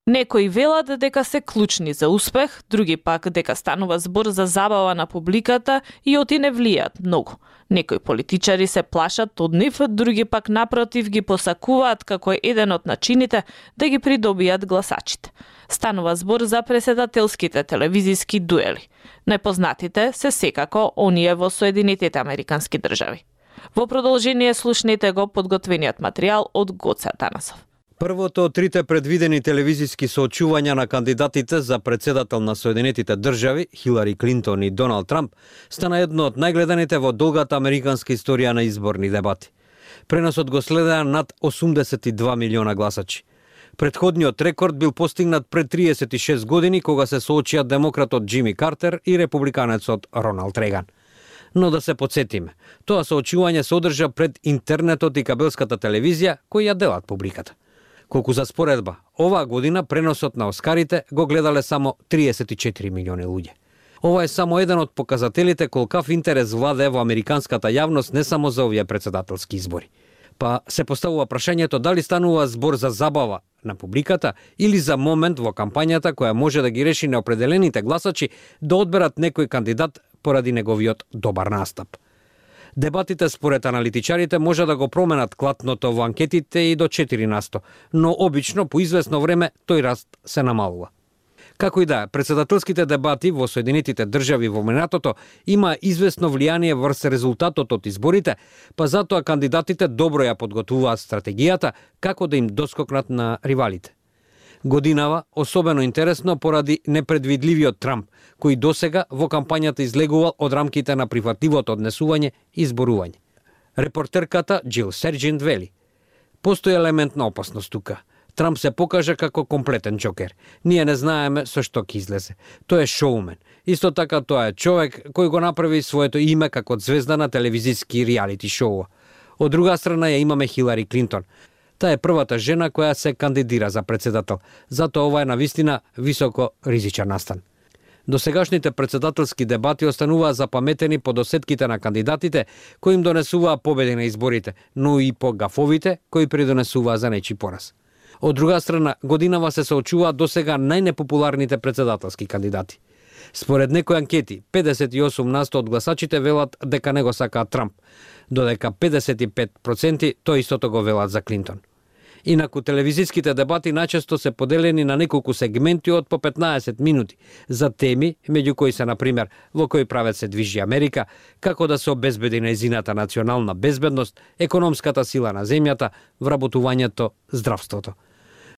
Некои велат дека се клучни за успех, други пак дека станува збор за забава на публиката и оти не влијат многу. Некои политичари се плашат од нив, други пак напротив ги посакуваат како еден од начините да ги придобијат гласачите. Станува збор за преседателските телевизиски дуели. Најпознатите се секако оние во Соединетите Американски држави. Во продолжение слушнете го подготвениот материјал од Гоце Атанасов. Првото од трите предвидени телевизиски соочувања на кандидатите за председател на Соединетите држави, Хилари Клинтон и Доналд Трамп, стана едно од најгледаните во долгата американска историја на изборни дебати. Преносот го следеа над 82 милиона гласачи. Предходниот рекорд бил постигнат пред 36 години, кога се соочија демократот Џими Картер и републиканецот Роналд Реган. Но да се подсетиме, тоа соочување се одржа пред интернетот и кабелската телевизија, кои ја делат публиката. Колку за споредба, оваа година преносот на Оскарите го гледале само 34 милиони луѓе. Ова е само еден од показателите колкав интерес владее во американската јавност не само за овие председателски избори. Па се поставува прашањето дали станува збор за забава на публиката или за момент во кампањата која може да ги реши неопределените гласачи да одберат некој кандидат поради неговиот добар настап. Дебатите според аналитичарите може да го променат клатното во анкетите и до 4%, но обично по известно време тој раст се намалува. Како и да е, председателските дебати во Соединетите држави во минатото има известно влијание врз резултатот од изборите, па затоа кандидатите добро ја подготвуваат стратегијата како да им доскокнат на ривалите. Годинава особено интересно поради непредвидливиот Трамп, кој досега во кампањата излегувал од рамките на прифатливото однесување и зборување. Репортерката Џил Серџент вели: "Постои елемент на опасност тука. Трамп се покажа како комплетен џокер. Ние не знаеме со што ќе излезе. Тој е шоумен. Исто така тоа е човек кој го направи своето име како звезда на телевизиски реалити шоу. Од друга страна ја имаме Хилари Клинтон. Таа е првата жена која се кандидира за председател. Затоа ова е навистина високо ризичен настан." Досегашните председателски дебати остануваа запаметени по досетките на кандидатите кои им донесуваа победи на изборите, но и по гафовите кои придонесуваа за нечи пораз. Од друга страна, годинава се соочуваат досега најнепопуларните председателски кандидати. Според некои анкети, 58% од гласачите велат дека не го сакаат Трамп, додека 55% тој истото го велат за Клинтон. Инаку телевизиските дебати најчесто се поделени на неколку сегменти од по 15 минути за теми, меѓу кои се, например, во кој правец се движи Америка, како да се обезбеди нејзината национална безбедност, економската сила на земјата, вработувањето, здравството.